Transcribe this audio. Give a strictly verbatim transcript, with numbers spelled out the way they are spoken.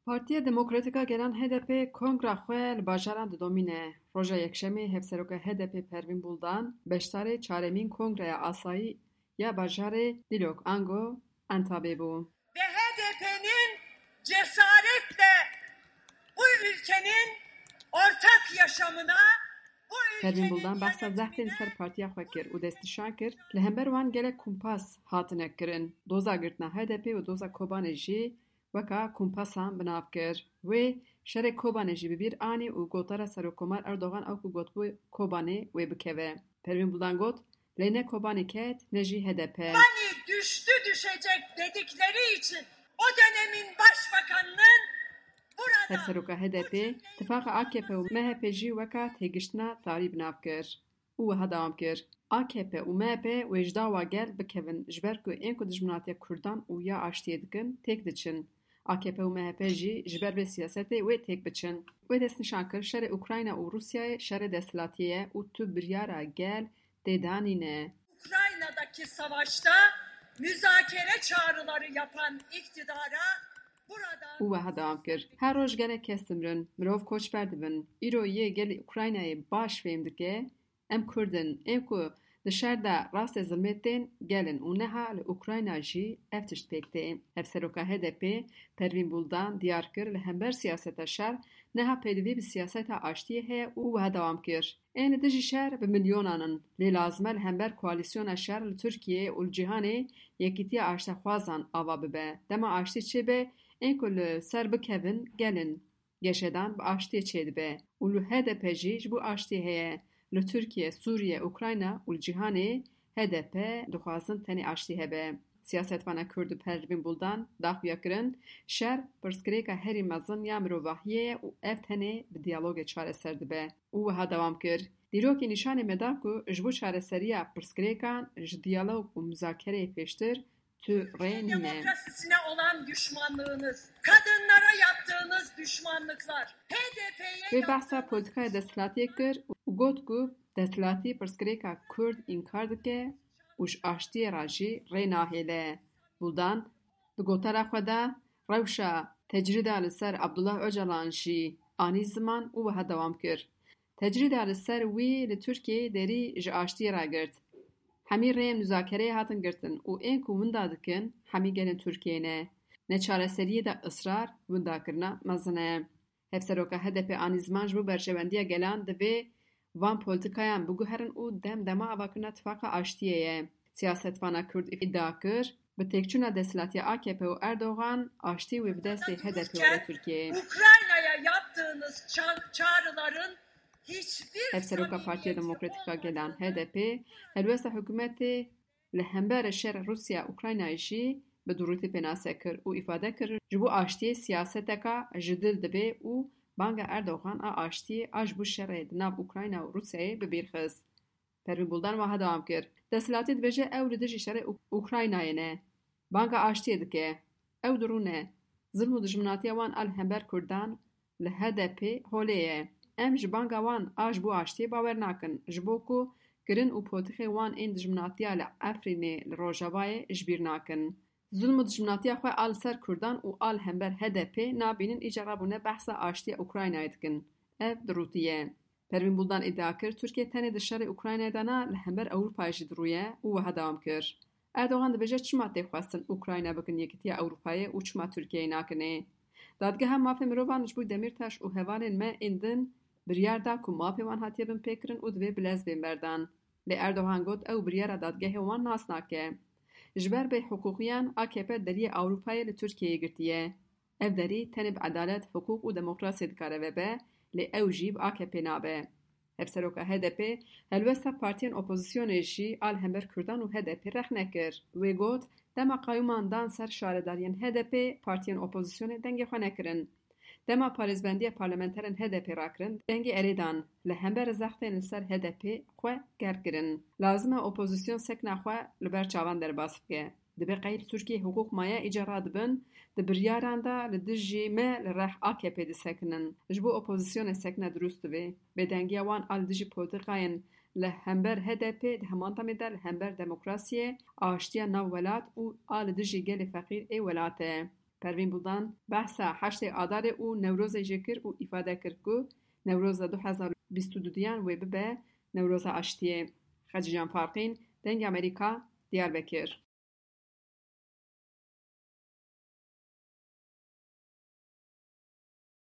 Partiya Demokratîk a Gelan H D P kongra xwe li bajaran didomîne. Roja Yekşemê Hevseroka H D P Pervîn Buldan beşdarê çaremîn Kongreya Asayî ya bajarê Dîlok ango Entabê bû. Ve H D P'nin cesaretle bu ülkenin ortak yaşamına, bu Pervîn ülkenin Buldan behsa zehtên li ser partiya xwe kir û destnîşan kir, li hember wan gelek kumpas hatine kirin. Doza girtina H D P û doza Kobanê jî weka kumpasan bi nav kir. Wê şerê Kobanê jî bi bîr anî û gotara Serokkomar Erdogan ew ku gotbû Kobanê wê bikeve. Pervîn Buldan got, lê ne Kobanê ket, ne jî H D P. Hani düştü düşecek dedikleri için o dönemin başbakanının burada Hevseroka H D P, tifaqa A K P û M H P jî weka têgiştina tarî bi nav kir. Û wiha dewam kir, A K P û M H P wê ji dawa gel bikevin, ji ber ku ên ku dijminatiya Kurdan û ya aştiyê dikin, têk diçin. A K P û M H P jî ji ber vê siyasetê wê têk biçin. Wê destnîşan kir, şerê Ukrayna û Rûsyayê şerê desthilatiyê ye û tu biryara gel tê de nîne. Ukrayna'daki savaşta müzakere çağrıları yapan iktidara buradan Û wiha dewam kir, her roj gelek kes dimrin, mirov koçber dibin. Îro yê gelê Ukraynayê baş fêm dike, em Kurd in, ên ku di şer de rastê zilmê tên, gel in û niha li Ukrayna jî ev tişt pêk tê. Hevseroka H D P Pervîn Buldan diyar kir, li hember siyaseta şer niha pêdivî bi siyaseta aştiyê heye û wiha dewam kir, ên li dijî şer bi milyonan in, lê lazim e li hember koalîsyona şer li Tirkiyeyê û li cîhanê yekîtiya aştexwazan ava bibe. Dema aştî çêbe, ên ku li ser bikevin, gel in. Geşedan bi aştiyê çêdibe û li H D P jî ji bo aştiyê heye. Li Tirkiye, Sûriye, Ukrayna û li cîhanê H D P dixwazin tenê aştî hebe. Siyasetvana Kurd û Pervîn Buldan daxuya kirin, şer pirsgirêka herî mezin ya mirovahiyê ye û ev tenê bi diyalogê çareser dibe. Û wiha dewam kir, Dîrokê nîşanê me da ku ji bo çareseriya pirsgirêkan ji diyalog û muzakereyê pêştir tu rê nîne. Demokrasisine olan düşmanlığınız, kadınlara yaptığınız düşmanlıklar, H D P'ye Wê behsa yaptığınız politikaya desthilatiyê kir û got ku desthilatî pirsgirêka Kurd înkar dike û ji aştiyê re jî rê nahêle. Buldan di gotara xwe de rewşa tecrîda li ser Abdullah Ocalan jî anî ziman û wiha dewam kir, Tecrîda li ser wî li Tirkiyeyê derî ji aştiyê re girt. Hemî rêyên muzakereyê hatin girtin û ên ku winda dikin, hemî gelên Tirkiyeyê ne. Neçareseriyê de israr, windakirina mezin e. Hevseroka H D P anî ziman ji bo berjewendiya gelan divê van polîtîkayan biguherin û dem dema avakirina tifaqa aştiyê ye. Siyasetvana Kurd îdia kir, bi têkçûna desthilatiya A K P û Erdogan, aştî wê bi destê H D P were Tirkiyeyê. Ukrayna'ya yaptığınız ça-, çağrıların hiçbir Hevseroka Partiya Demokratîk a Gelan, H D P, helwesta hikûmetê li hemberî şerê Rûsya-Ukraynayê jî bi dirûtî pênase kir û îfade kir, ji bo aştiyê siyaseteka ji dil dibe û banga Erdogan a aştiyê a ji bo şerê di nav Ukrayna û Rûsyayê bi bîr xist. Pervîn Buldan wiha dewam kir, Desthilatî dibêje ew li dijî şerê Uk-, Ukraynayê ne. Banga aştiyê dike. Ew dirûne. Zilm û dijminatiya wan a li hember Kurdan li H D P holê ye. Em ji banga wan a ji bo aştiyê bawer nakin, ji bo ku kirin û potixê wan ên dijminatiya li Efrînê li Rojavayê ji bîr nakin. Zilm û dijminatiya xwe a li ser Kurdan û a li hember H D P nabînin, îcar bûne behsa aştiya Ukraynayê dikin. Ev dirûtiye. Pervîn Buldan îdia kir, Tirkiye tenê di şerê Ukraynayê de na, li hember Ewropayê jî dirûye û wiha dewam kir, Erdogan dibêje çima tê xwestin Ukrayna bikin Yekîtiya Ewropayê û çima Tirkiyeyê nakinê? Dadgeha Mafê Mirovan ji bo Demîrtaş û hevalên me ên din biryar da ku mafê wan hatiye binpêkirin û divê bi lez bên berdan. Lê Erdogan got ew biryara dadgehê wan nas nake. Ji ber bêhiqûqiyan A K P deriyê Ewropayê li Tirkiyeyê girtiye. Ev derî tenê bi edalet, hiqûq û demokrasiyê dikare vebe, lê ew jî bi A K P nabe. Hevseroka H D P helwesta partiyên opozisyonê jî a li hember Kurdan û H D P rexne kir. Wê got, dema qayûman dan ser şaredariyên H D P, partiyên opozisyonê dengê xwe nekirin. Dema parêzbendiya parlamenterên H D P rakirin, dengê erê dan, li hember zextên li ser H D P xwe germ kirin. Lazim e opozîsyon sekna xwe li ber çavan derbas bike. Dibe qey li Tirkiyeyê hiqûq maye, îcar dibin di biryaran de li dijî me li reh A K P disekinin. Ji bo opozîsyonê sekna dirûst divê. Bêdengiya wan a li dijî polîtîkayên li hember H D P di heman demê de li hember demokrasiyê, aştiya nav welat û a li dijî gelê feqîr ê welat e. Pervîn Buldan behsa heştê Adarê û Newrozê jî kir û îfade kir ku Newroza du hezar û bîst û duyan wê bibe Newroza Aştiyê. Xecîcan Farqîn, Dengê Amerîka, Diyarbekir.